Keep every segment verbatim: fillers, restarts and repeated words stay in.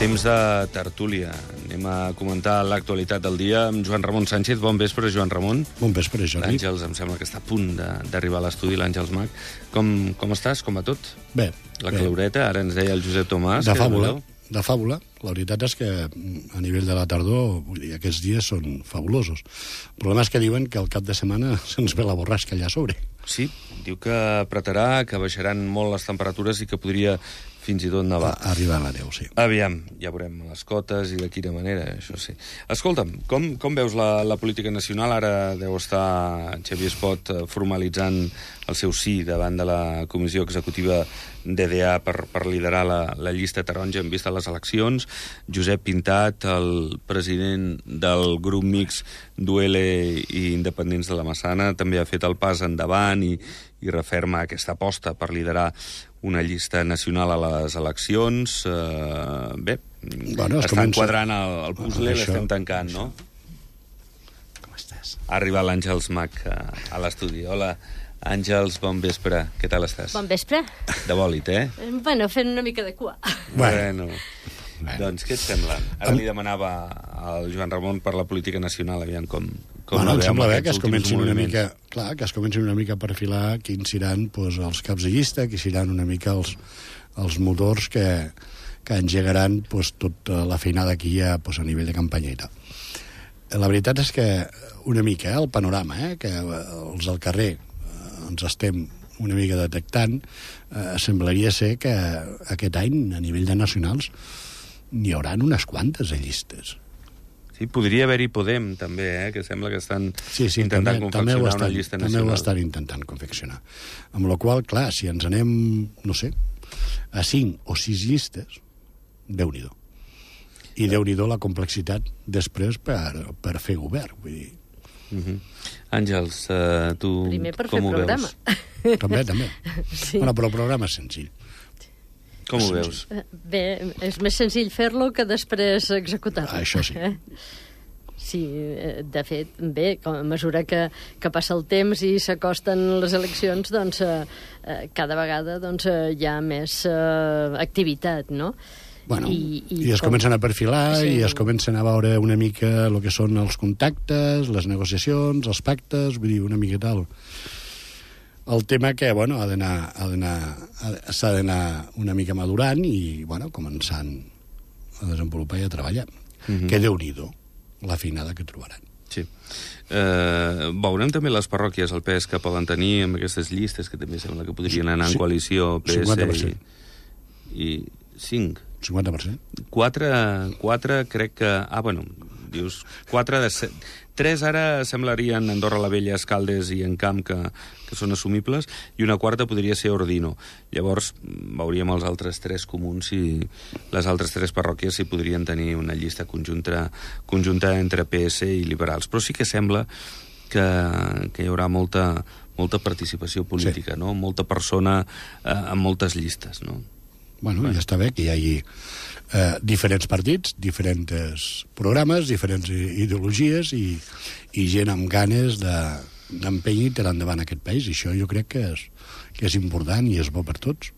Temps de tertúlia. Anem a comentar l'actualitat del dia amb Joan Ramon Sánchez. Bon vespre, Joan Ramon. Bon vespre, Jordi. L'Àngels, em sembla que està a punt d'arribar a l'estudi, l'Àngels Mac. Com, com estàs? Com va tot? Bé. La bé. caloreta, ara ens deia el Josep Tomàs. De fàbula, de fàbula. La veritat és que a nivell de la tardor, vull dir, aquests dies són fabulosos. El problema és que diuen que al cap de setmana se'ns ve la borrasca allà a sobre. Sí, diu que apretarà, que baixaran molt les temperatures i que podria fins i tot nevar. Arribar a la neu, sí. Aviam, ja veurem les cotes i de quina manera, això sí. Escolta'm, com, com veus la, la política nacional? Ara deu estar Xavier Espot formalitzant el seu sí davant de la Comissió Executiva D D A per, per liderar la, la llista taronja en vista de les eleccions. Josep Pintat, el president del grup mix d'U L i Independents de la Massana, també ha fet el pas endavant i, i referma aquesta aposta per liderar una llista nacional a les eleccions. Uh, bé, bueno, està comença... enquadrant el, el puzzle, bueno, l'estem tancant, això. No? Com estàs? Ha arribat l'Àngels Mac a, a l'estudi. Hola, Àngels, bon vespre. Què tal estàs? Bon vespre. De bòlit, eh? Bueno, fent una mica de cua. Bueno, bueno. Doncs què et sembla? Ara li demanava al Joan Ramon per la política nacional, aviam com... com bueno, em sembla bé que es comencin una mica, clar, que es comencin una mica a perfilar quins seran pues, els caps de llista, quins seran una mica els, els motors que, que engegaran pues, tota la feinada que hi ha pues, a nivell de campanya i tal. La veritat és que una mica, eh, el panorama, eh, que els al carrer eh, ens estem una mica detectant, eh, semblaria ser que aquest any, a nivell de nacionals, n'hi haurà unes quantes de llistes. Sí, podria haver-hi Podem, també, eh? Que sembla que estan sí, sí, intentant també, confeccionar també estan, una llista també nacional. També ho estan intentant confeccionar. Amb la qual, clar, si ens anem, no sé, a cinc o sis llistes, Déu-n'hi-do. I Déu-n'hi-do la complexitat després per, per fer govern, vull dir. Uh -huh. Àngels, uh, tu Primer per com fer ho programa. veus? També, també. Sí. Bueno, però el programa és senzill. Com ho veus? Bé, és més senzill fer-lo que després executar-lo. Ah, això sí. Eh? Sí, de fet, bé, a mesura que, que passa el temps i s'acosten les eleccions, doncs eh, cada vegada doncs, hi ha més eh, activitat, no? Bueno, i, i, i es com... comencen a perfilar sí. i es comencen a veure una mica el que són els contactes, les negociacions, els pactes, vull dir, una mica tal. El tema que, bueno, ha d'anar, ha d'anar, s'ha d'anar una mica madurant i, bueno, començant a desenvolupar i a treballar. Uh-huh. Que Déu-n'hi-do la feinada que trobaran. Sí. Eh, veurem també les parròquies, el pes que poden tenir amb aquestes llistes, que també sembla que podrien anar en coalició P S i, i cinc. cinquanta per cent. Quatre, quatre crec que... Ah, bueno, dius, quatre de set. Tres ara semblarien Andorra la Vella, Escaldes i Encamp, que, que són assumibles, i una quarta podria ser Ordino. Llavors, veuríem els altres tres comuns i les altres tres parròquies si podrien tenir una llista conjunta, conjunta entre P S i liberals. Però sí que sembla que, que hi haurà molta, molta participació política, sí. No? Molta persona eh, amb moltes llistes, no? Bueno, bueno, ja està bé que hi hagi eh, diferents partits, diferents programes, diferents ideologies i, i gent amb ganes d'empènyer i tirar endavant aquest país. I això jo crec que és, que és important i és bo per tots.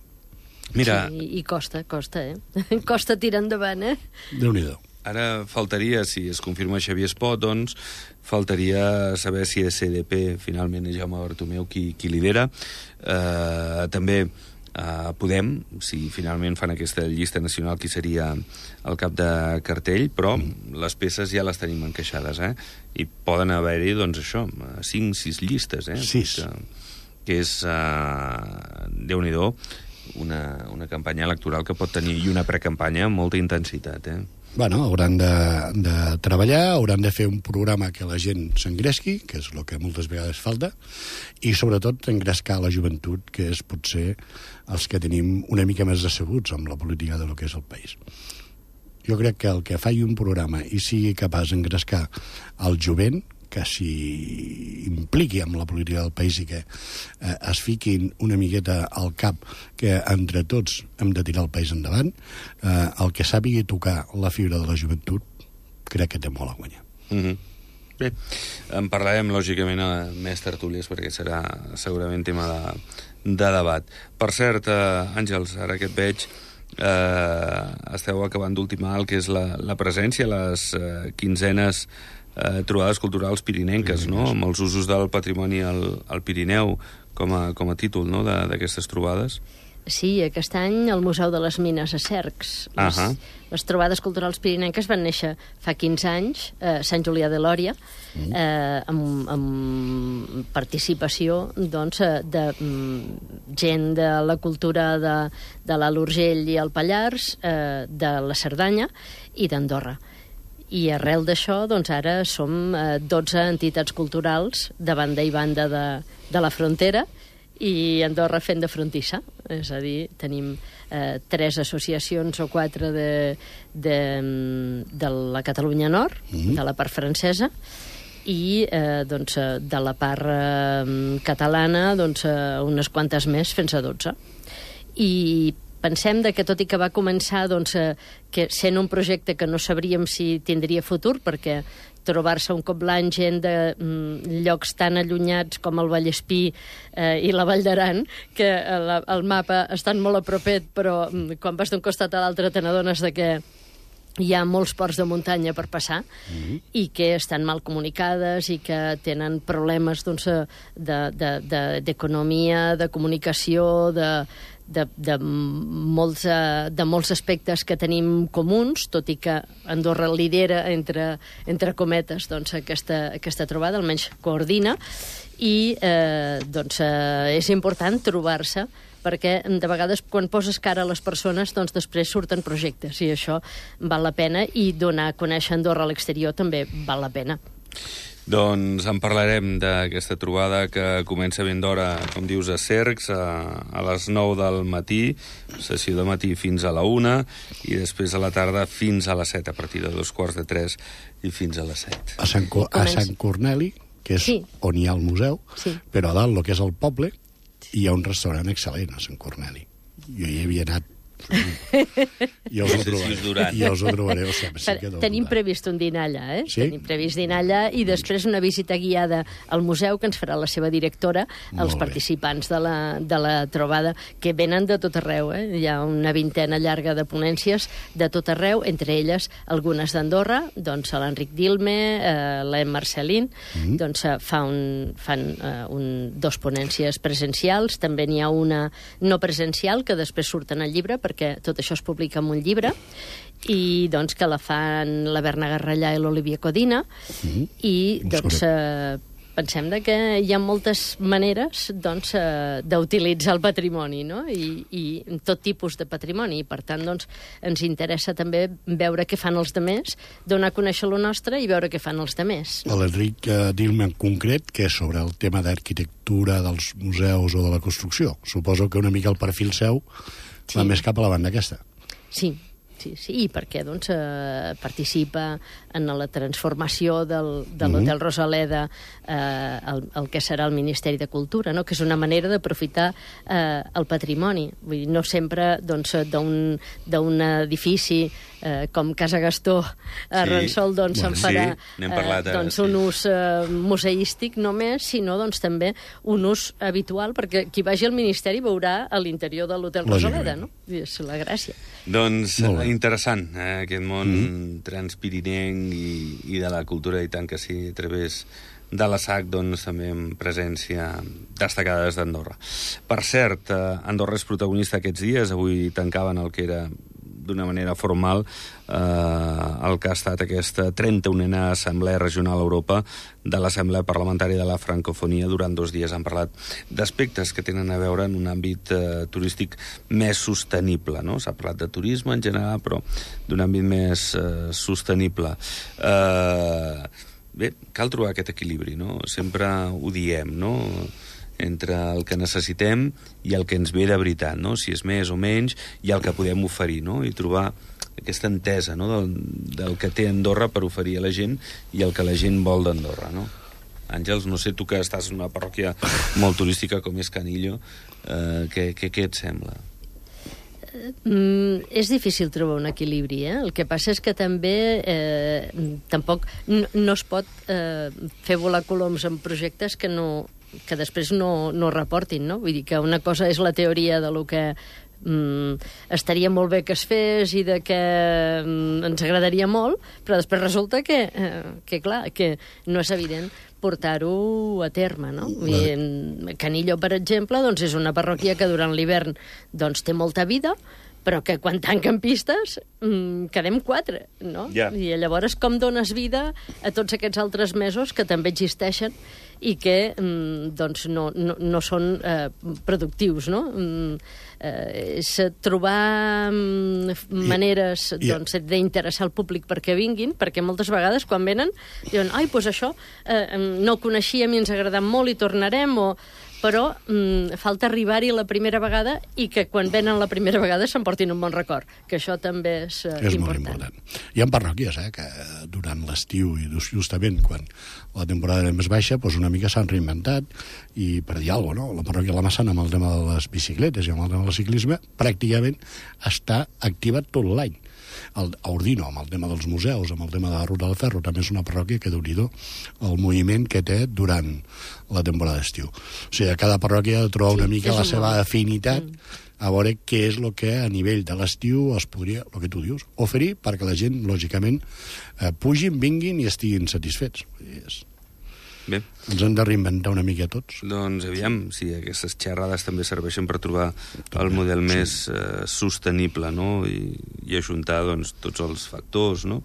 Mira... Sí, i costa, costa, eh? Costa tirar endavant, eh? Déu-n'hi-do. Ara faltaria, si es confirma Xavier Espot, doncs, faltaria saber si és C D P, finalment, és Jaume Bartomeu qui, qui lidera. Eh, també... Uh, Podem, si finalment fan aquesta llista nacional, qui seria el cap de cartell, però mm. les peces ja les tenim encaixades, eh? I poden haver-hi, doncs, això, cinc, sis llistes, eh? Sis. Que, que és, uh, Déu-n'hi-do, una, una campanya electoral que pot tenir, i una precampanya amb molta intensitat, eh? Bueno, hauran de, de treballar, hauran de fer un programa que la gent s'engresqui, que és el que moltes vegades falta, i sobretot engrescar la joventut, que és potser els que tenim una mica més decebuts amb la política de lo que és el país. Jo crec que el que faci un programa i sigui capaç d'engrescar el jovent, que s'hi impliqui amb la política del país i que eh, es fiquin una miqueta al cap que entre tots hem de tirar el país endavant, eh, el que sàpigui tocar la fibra de la joventut crec que té molt a guanyar. Mm-hmm. Bé, en parlarem lògicament a més tertúlies perquè serà segurament tema de, de debat. Per cert, eh, Àngels, ara que et veig, eh, esteu acabant d'ultimar el que és la, la presència a les eh, quinzenes eh, trobades culturals pirinenques, no? Amb els usos del patrimoni al, al Pirineu com a, com a títol, no?, d'aquestes trobades. Sí, aquest any al Museu de les Mines a Cercs. Uh Les, -huh. les trobades culturals pirinenques van néixer fa quinze anys a Sant Julià de Lòria, mm. eh, amb, amb participació doncs, de mm, gent de la cultura de, de l'Alt Urgell i el Pallars, eh, de la Cerdanya i d'Andorra. I arrel d'això, doncs ara som eh, dotze entitats culturals de banda i banda de, de la frontera, i Andorra fent de frontissa, és a dir, tenim eh, tres associacions o quatre de, de, de la Catalunya Nord, mm-hmm. de la part francesa, i eh, doncs, de la part eh, catalana doncs, eh, unes quantes més, fins a dotze. I pensem de que, tot i que va començar doncs, eh, que sent un projecte que no sabríem si tindria futur, perquè trobar-se un cop l'any gent de mm, llocs tan allunyats com el Vallespí eh, i la Vall d'Aran, que el, el mapa estan molt a propet, però mm, quan vas d'un costat a l'altre te n'adones de que hi ha molts ports de muntanya per passar, mm-hmm. i que estan mal comunicades i que tenen problemes doncs, d'economia, de, de, de comunicació, de... De, de, molts, de molts aspectes que tenim comuns, tot i que Andorra lidera, entre, entre cometes, doncs, aquesta, aquesta trobada, almenys coordina, i eh, doncs, eh, és important trobar-se, perquè de vegades quan poses cara a les persones doncs després surten projectes, i això val la pena, i donar a conèixer Andorra a l'exterior també val la pena. Doncs en parlarem d'aquesta trobada que comença ben d'hora, com dius, a Cercs, a, a les nou del matí, sessió de matí fins a la una, i després a la tarda fins a les set, a partir de dos quarts de tres i fins a les set. A Sant, Co a Sant Corneli, que és sí. on hi ha el museu, sí. però a dalt, el que és el poble, hi ha un restaurant excel·lent a Sant Corneli. Jo hi havia anat. Ja us ho trobaré. Ja us ho trobaré. O sigui, sí que tenim previst un dinar allà, eh? Sí? Tenim previst dinar allà, i després una visita guiada al museu que ens farà la seva directora, els participants de la, de la trobada, que venen de tot arreu, eh? Hi ha una vintena llarga de ponències de tot arreu, entre elles algunes d'Andorra, doncs l'Enric Dilme, eh, l'Em Marcelín, mm-hmm. doncs fa un, fan eh, un, dos ponències presencials, també n'hi ha una no presencial, que després surt en el llibre, perquè tot això es publica en un llibre, i doncs que la fan la Berna Garrellà i l'Olivia Codina, mm-hmm. i doncs eh, pensem de que hi ha moltes maneres doncs, eh, d'utilitzar el patrimoni, no? I, i tot tipus de patrimoni, i per tant doncs, ens interessa també veure què fan els demés, donar a conèixer lo nostre i veure què fan els demés. L'Enric eh, Dilme en concret, que és sobre el tema d'arquitectura dels museus o de la construcció. Suposo que una mica el perfil seu va sí. més cap a la banda aquesta. Sí, sí, sí, i perquè doncs, eh, participa en la transformació del, de l'Hotel Rosaleda eh, el, el que serà el Ministeri de Cultura, no? Que és una manera d'aprofitar eh, el patrimoni. Vull dir, no sempre doncs, d'un d'un edifici eh, com Casa Gastó a sí. Ransol doncs, bueno, se'n farà sí, parlat, eh, doncs, sí. un ús eh, museístic només, sinó doncs, també un ús habitual, perquè qui vagi al Ministeri veurà a l'interior de l'Hotel Rosaleda, no? I és la gràcia. Doncs interessant, eh, aquest món mm. transpirinenc i, i de la cultura, i tant que sí, a través de la S A C, doncs, també amb presència destacada des d'Andorra. Per cert, eh, Andorra és protagonista aquests dies. Avui tancaven el que era d'una manera formal eh, el que ha estat aquesta trenta-unena Assemblea Regional Europa de l'Assemblea Parlamentària de la Francofonia. Durant dos dies han parlat d'aspectes que tenen a veure en un àmbit eh, turístic més sostenible, no? S'ha parlat de turisme en general, però d'un àmbit més eh, sostenible. Eh, bé, cal trobar aquest equilibri, no? Sempre ho diem, no?, entre el que necessitem i el que ens ve de veritat, no? Si és més o menys, i el que podem oferir, no? I trobar aquesta entesa, no?, del, del que té Andorra per oferir a la gent i el que la gent vol d'Andorra, no? Àngels, no sé, tu que estàs en una parròquia molt turística com és Canillo, eh, què, què, què et sembla? Mm, és difícil trobar un equilibri, eh? El que passa és que també eh, tampoc no, no es pot eh, fer volar coloms en projectes que no que després no, no reportin, no? Vull dir que una cosa és la teoria de lo que mm, estaria molt bé que es fes i de que mm, ens agradaria molt, però després resulta que, eh, que clar, que no és evident portar-ho a terme, no? I Canillo, per exemple, doncs és una parròquia que durant l'hivern doncs, té molta vida, però que quan tanquen pistes mmm, quedem quatre, no? Yeah. I llavors com dones vida a tots aquests altres mesos que també existeixen i que mmm, doncs no, no, no són eh, productius, no? Mm, eh, és trobar mm, maneres I, doncs, d'interessar el públic perquè vinguin, perquè moltes vegades quan venen diuen, ai, doncs això eh, no ho coneixíem i ens ha agradat molt i tornarem, o però mm, falta arribar-hi la primera vegada i que quan venen la primera vegada s'emportin un bon record, que això també és, uh, és important. molt important. Hi ha parròquies eh, que durant l'estiu i justament quan la temporada era més baixa, doncs una mica s'han reinventat i per dir alguna cosa, no? La parròquia de la Massana amb el tema de les bicicletes i amb el tema del ciclisme pràcticament està activa tot l'any. El, a Ordino, amb el tema dels museus, amb el tema de la Ruta del Ferro, també és una parròquia que, déu-n'hi-do, el moviment que té durant la temporada d'estiu. O sigui, a cada parròquia ha de trobar sí, una mica la seva molt. afinitat mm. a veure què és el que a nivell de l'estiu es podria, el que tu dius, oferir perquè la gent, lògicament, eh, pugin, vinguin i estiguin satisfets. És... Bé. Ens hem de reinventar una mica tots. Doncs aviam, si sí, aquestes xerrades també serveixen per trobar el model sí. més eh, sostenible, no? I, i ajuntar doncs, tots els factors, no?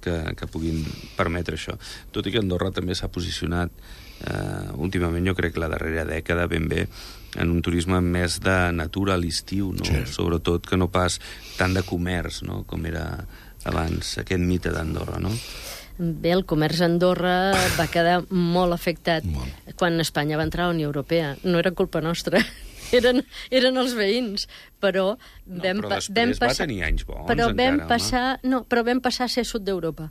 que, que puguin permetre això. Tot i que Andorra també s'ha posicionat eh, últimament, jo crec que la darrera dècada ben bé, en un turisme més de natura a l'estiu, no? Sí. Sobretot que no pas tant de comerç, no? Com era abans aquest mite d'Andorra, no? Bé, el comerç a Andorra va quedar molt afectat molt. Quan Espanya va entrar a la Unió Europea. No era culpa nostra, eren, eren els veïns, però no, vam, però després vam passar, va tenir anys bons però encara, vam passar, no, però vam passar a ser sud d'Europa.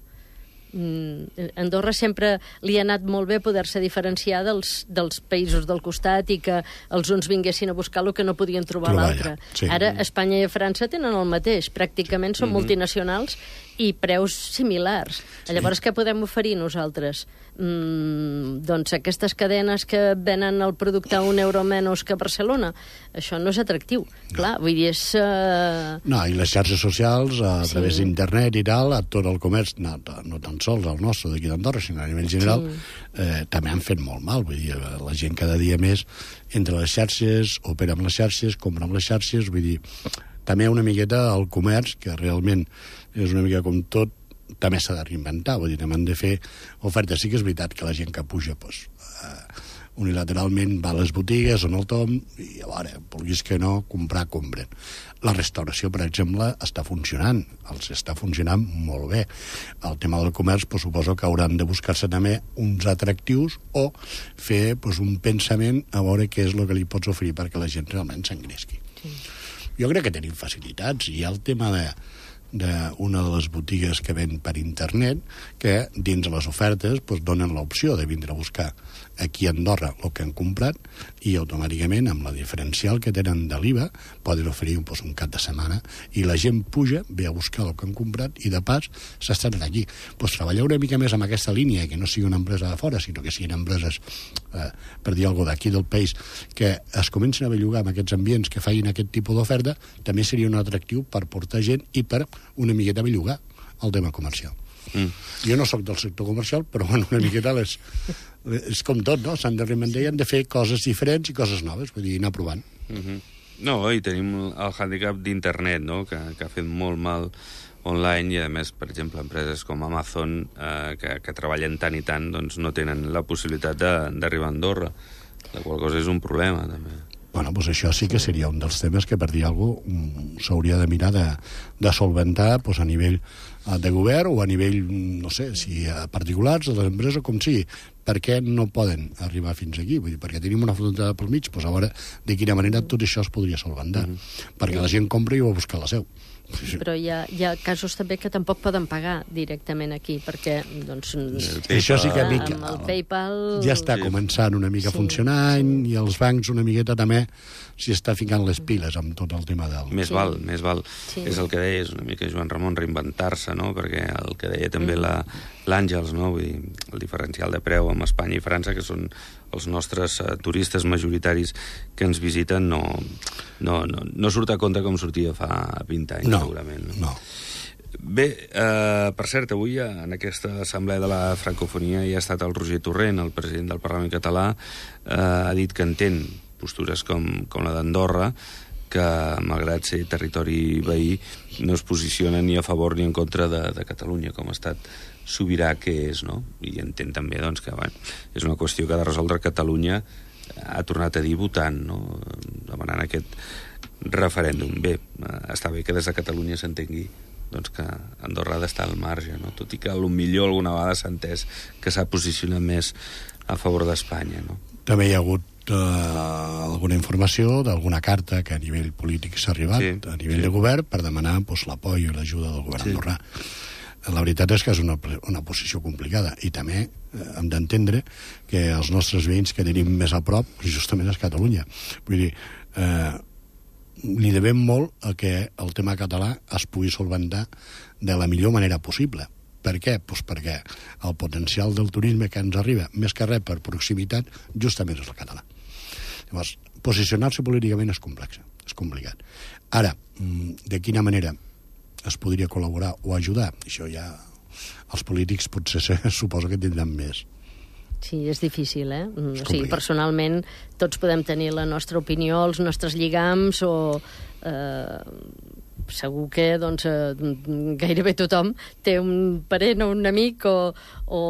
Mm, Andorra sempre li ha anat molt bé poder-se diferenciar dels, dels països del costat i que els uns vinguessin a buscar el que no podien trobar, trobar l'altre. Ja. Sí. Ara Espanya i França tenen el mateix, pràcticament són mm-hmm. multinacionals i preus similars. Sí. Llavors, què podem oferir nosaltres? Mm, doncs aquestes cadenes que venen el producte a un euro menys que a Barcelona, això no és atractiu. No. Clar, vull dir, és... Uh... No, i les xarxes socials, a sí. través d'internet i tal, a tot el comerç, no, no tan sols el nostre d'aquí d'Andorra, sinó a nivell general, sí. eh, també han fet molt mal. Vull dir, la gent cada dia més entre les xarxes, opera amb les xarxes, compra amb les xarxes, vull dir, també una miqueta el comerç, que realment és una mica com tot, també s'ha de reinventar, vull dir, també han de fer ofertes. Sí que és veritat que la gent que puja doncs, uh, unilateralment va a les botigues on el tom i a veure, vulguis que no, comprar, compren. La restauració, per exemple, està funcionant, els està funcionant molt bé. El tema del comerç, doncs, suposo que hauran de buscar-se també uns atractius o fer doncs, un pensament a veure què és el que li pots oferir perquè la gent realment s'engresqui. Sí. Jo crec que tenim facilitats. Hi ha el tema de d'una de les botigues que ven per internet que dins de les ofertes doncs, donen l'opció de vindre a buscar aquí a Andorra el que han comprat i automàticament amb la diferencial que tenen de l'I V A poden oferir doncs, un cap de setmana i la gent puja, ve a buscar el que han comprat i de pas s'estan aquí. Doncs treballar una mica més amb aquesta línia, que no sigui una empresa de fora, sinó que siguin empreses, eh, per dir alguna cosa, d'aquí del país, que es comencin a bellugar amb aquests ambients que facin aquest tipus d'oferta, també seria un atractiu per portar gent i per una miqueta bellugar el tema comercial. Mm. Jo no sóc del sector comercial, però bueno, una miqueta les, les, és com tot, no? S'han de reinventar i han de fer coses diferents i coses noves, vull dir, anar provant. Mm-hmm. No, i tenim el hàndicap d'internet, no?, que, que ha fet molt mal online i, a més, per exemple, empreses com Amazon, eh, que, que treballen tant i tant, doncs no tenen la possibilitat d'arribar a Andorra, la qual cosa és un problema, també. Bueno, doncs això sí que seria un dels temes que, per dir alguna cosa, s'hauria de mirar de, de solventar doncs, a nivell de govern o a nivell, no sé, si a particulars, de les empreses, com sigui. Per què no poden arribar fins aquí? Vull dir, perquè tenim una frontera pel mig, doncs a veure de quina manera tot això es podria solventar. Mm-hmm. Perquè la gent compra i va a buscar la seu. Però hi ha, hi ha casos també que tampoc poden pagar directament aquí, perquè doncs, això sí que amb mica, el PayPal ja està començant una mica sí, funcionant sí. I els bancs una miqueta també s'hi està ficant les piles amb tot el tema del... Més sí. val, més val. Sí. És el que deies una mica Joan Ramon, reinventar-se, no? Perquè el que deia també mm. la, l'Àngels, no? Vull dir, el diferencial de preu amb Espanya i França, que són els nostres uh, turistes majoritaris que ens visiten, no, no, no, no surt a compte com sortia fa vint anys, no, segurament. No, no. Bé, eh, per cert, avui en aquesta assemblea de la francofonia hi ha estat el Roger Torrent, el president del Parlament català, eh, ha dit que entén postures com, com la d'Andorra, que, malgrat ser territori veí, no es posiciona ni a favor ni en contra de, de Catalunya, com a estat sobirà que és, no? I entén també doncs, que bueno, és una qüestió que ha de resoldre Catalunya, ha tornat a dir votant, no? Demanant aquest referèndum. Bé, està bé que des de Catalunya s'entengui doncs que Andorra ha d'estar al marge, no? Tot i que potser alguna vegada s'ha entès que s'ha posicionat més a favor d'Espanya, no? També hi ha hagut uh, alguna informació d'alguna carta que a nivell polític s'ha arribat, sí, a nivell sí. de govern, per demanar pues, l'apoi i l'ajuda del govern sí. andorrà. La veritat és que és una, una posició complicada i també eh, hem d'entendre que els nostres veïns que tenim més a prop justament és Catalunya. Vull dir, eh, li devem molt a que el tema català es pugui solventar de la millor manera possible. Per què? Pues perquè el potencial del turisme que ens arriba, més que res per proximitat, justament és el català. Llavors, posicionar-se políticament és complex, és complicat. Ara, de quina manera es podria col·laborar o ajudar? Això ja els polítics potser se, suposo que tindran més. Sí, és difícil, eh? O sigui, personalment, tots podem tenir la nostra opinió, els nostres lligams, o eh, segur que doncs, eh, gairebé tothom té un parent o un amic o, o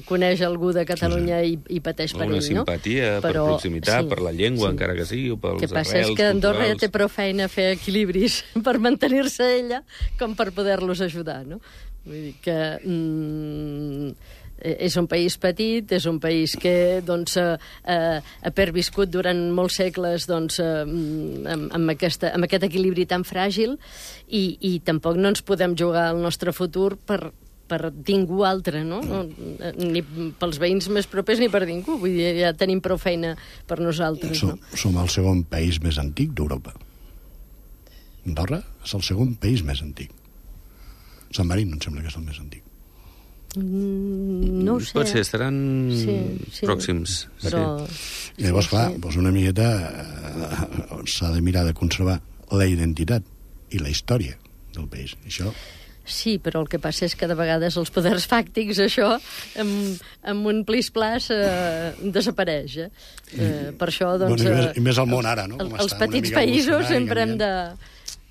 coneix algú de Catalunya sí, sí. i, i pateix per ell, no? Una simpatia, però, per proximitat, sí, per la llengua, sí. encara que sigui, o pels arrels culturals. El que passa és que Andorra ja té prou feina a fer equilibris per mantenir-se ella com per poder-los ajudar, no? Vull dir que... Mm, és un país petit, és un país que doncs, eh, ha perviscut durant molts segles doncs, eh, amb, amb, aquesta, amb aquest equilibri tan fràgil i, i tampoc no ens podem jugar el nostre futur per, per ningú altre, no? no? Ni pels veïns més propers ni per ningú. Vull dir, ja tenim prou feina per nosaltres. Som, no? som el segon país més antic d'Europa. Andorra és el segon país més antic. San Marino em sembla que és el més antic. Mm, no ho sé. Pot ser, estaran sí, sí. pròxims. Però... Sí. I llavors, clar, doncs una miqueta eh, s'ha de mirar de conservar la identitat i la història del país. Això... Sí, però el que passa és que de vegades els poders fàctics, això, amb, amb un plis-plas eh, desapareix. Eh? Eh, per això, doncs... Bueno, i, més, I més al món ara, no? Com els petits països sempre hem de...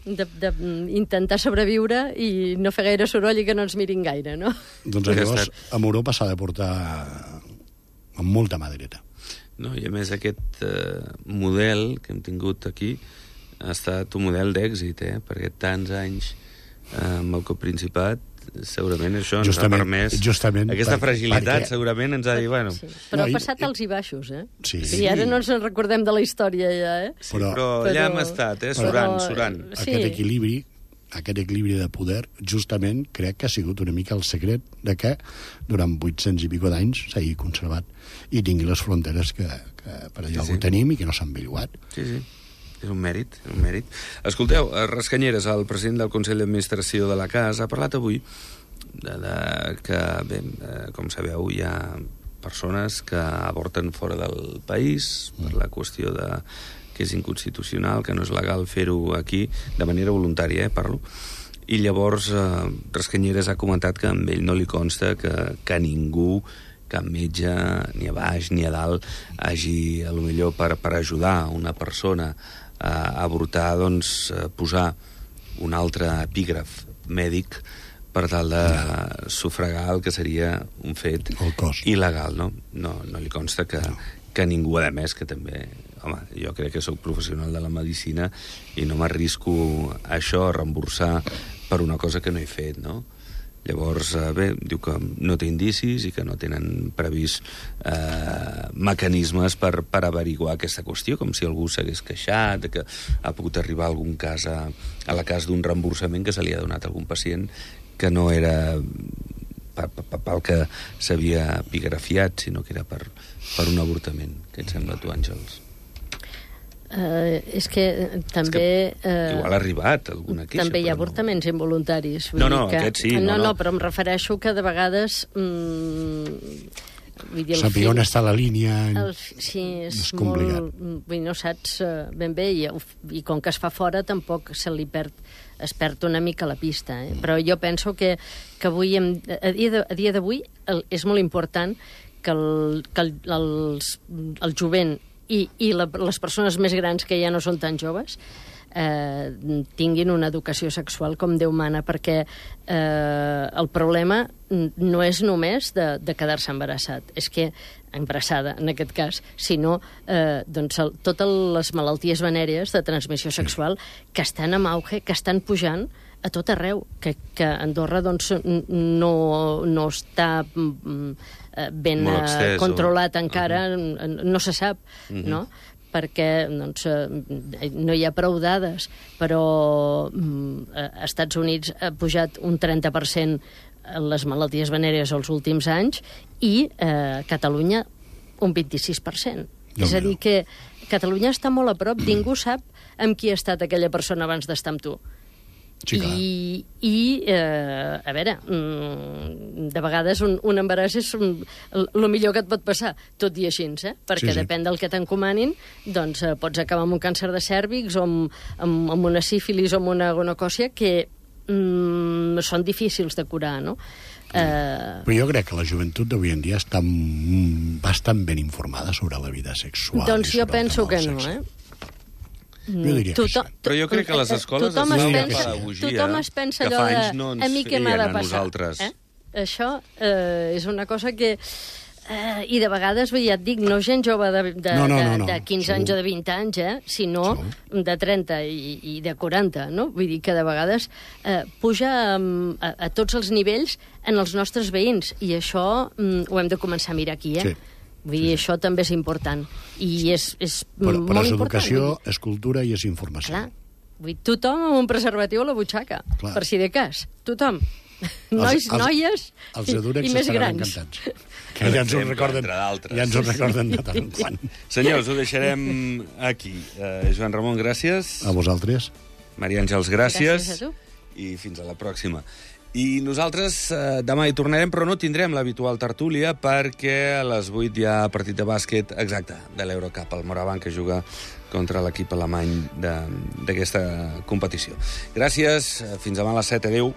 d'intentar sobreviure i no fer gaire soroll i que no ens mirin gaire, no? Doncs llavors, amb Europa s'ha de portar amb molta mà dreta. No, i a més aquest eh, model que hem tingut aquí ha estat un model d'èxit, eh? Perquè tants anys eh, amb el coprincipat segurament això ens justament, ha permès justament aquesta per, fragilitat perquè... segurament ens ha dit, bueno... Sí. Però no, ha passat i, alts i baixos, eh? Sí. I ara no ens en recordem de la història, ja, eh? Sí, però, però allà hem estat, eh? Surant, però, surant. Sí. Aquest equilibri, aquest equilibri de poder, justament, crec que ha sigut una mica el secret de que durant vuit-cents i pico d'anys s'hagi conservat i tingui les fronteres que, que per allò sí, sí. ho tenim i que no s'han belluat. Sí, sí. És un mèrit, un mèrit. Escolteu, Rascanyeres, el president del Consell d'Administració de la Casa, ha parlat avui de, de, que, bé, com sabeu, hi ha persones que avorten fora del país per la qüestió de que és inconstitucional, que no és legal fer-ho aquí, de manera voluntària, eh, parlo. I llavors eh, Rascanyeres ha comentat que a ell no li consta que, que ningú, cap metge, ni a baix ni a dalt, hagi, a lo millor, per, per ajudar una persona a avortar, doncs, posar un altre epígraf mèdic per tal de sufragar el que seria un fet il·legal, no? No, no li consta que, no. que ningú, a més, que també... Home, jo crec que sóc professional de la medicina i no m'arrisco a això, a reemborsar per una cosa que no he fet, no? Llavors, bé, diu que no té indicis i que no tenen previst eh, mecanismes per, per averiguar aquesta qüestió, com si algú s'hagués queixat, que ha pogut arribar algun cas a, a la cas d'un reemborsament que se li ha donat a algun pacient que no era pel que s'havia epigrafiat, sinó que era per, per un avortament. Què et sembla, tu, Àngels? Uh, és que també... És que uh, igual ha arribat alguna queixa. També hi ha no. avortaments involuntaris. Vull No, no, dir que... aquest sí. No, no, no, no, però em refereixo que de vegades... Mm, vull dir, saber on està la línia... El, sí, és, és complicat. molt... Vull dir, no saps uh, ben bé, i, i com que es fa fora tampoc se li perd, es perd una mica la pista. Eh? Però jo penso que, que avui, hem, a dia d'avui, és molt important que el, que el, els, el jovent i, i la, les persones més grans que ja no són tan joves eh, tinguin una educació sexual com Déu mana, perquè eh, el problema no és només de, de quedar-se embarassat, és que embarassada, en aquest cas, sinó eh, doncs, el, totes les malalties venèries de transmissió sexual que estan en auge, que estan pujant a tot arreu, que, que Andorra doncs, no, no està ben extès, controlat o... encara, uh-huh. no se sap, uh-huh. no? perquè doncs, no hi ha prou dades, però als Estats Units ha pujat un trenta per cent les malalties venèries els últims anys i eh, Catalunya un vint-i-sis per cent. No, és a dir, que Catalunya està molt a prop, ningú sap amb qui ha estat aquella persona abans d'estar amb tu. Sí, I, i eh, a veure, de vegades un, un embaràs és el millor que et pot passar, tot i així, eh? perquè sí, sí. depèn del que t'encomanin, doncs eh, pots acabar amb un càncer de cèrvix o amb, amb, amb una sífilis o amb una gonocòcia que mm, són difícils de curar, no? Uh... Però jo crec que la joventut d'avui en dia està bastant ben informada sobre la vida sexual. Doncs jo penso que no, eh? Jo diria tothom, que sí. Però jo crec que a les escoles tothom es es fa pensa, una pedagogia tothom es pensa que allò fa de, anys no ens a mi què m'ha feien de a passar. nosaltres. Eh? Això eh, és una cosa que... Eh, I de vegades, ja et dic, no gent jove de, de, no, no, no, de, no. de quinze anys o de vint anys, eh, sinó Segur. de trenta i, i de quaranta, no? Vull dir que de vegades eh, puja a, a, a tots els nivells en els nostres veïns, i això mm, ho hem de començar a mirar aquí, eh? Sí. Vull dir, sí, sí. això també és important. I és, és però, molt però és important. educació, és cultura i és informació. Clar. Vull dir, tothom amb un preservatiu a la butxaca, Clar. per si de cas. Tothom. Nois, els, els, noies els i, i més grans. Encantats. Que ja ens ho recorden, ja ens ho recorden de tant en quant. Senyors, ho deixarem aquí. Uh, Joan Ramon, gràcies. A vosaltres. Maria Àngels, gràcies. Gràcies a tu. I fins a la pròxima. I nosaltres eh, demà hi tornarem, però no tindrem l'habitual tertúlia perquè a les vuit hi ha partit de bàsquet exacte de l'Eurocup, el Morabanc, que juga contra l'equip alemany d'aquesta competició. Gràcies, fins demà a les set. Adéu.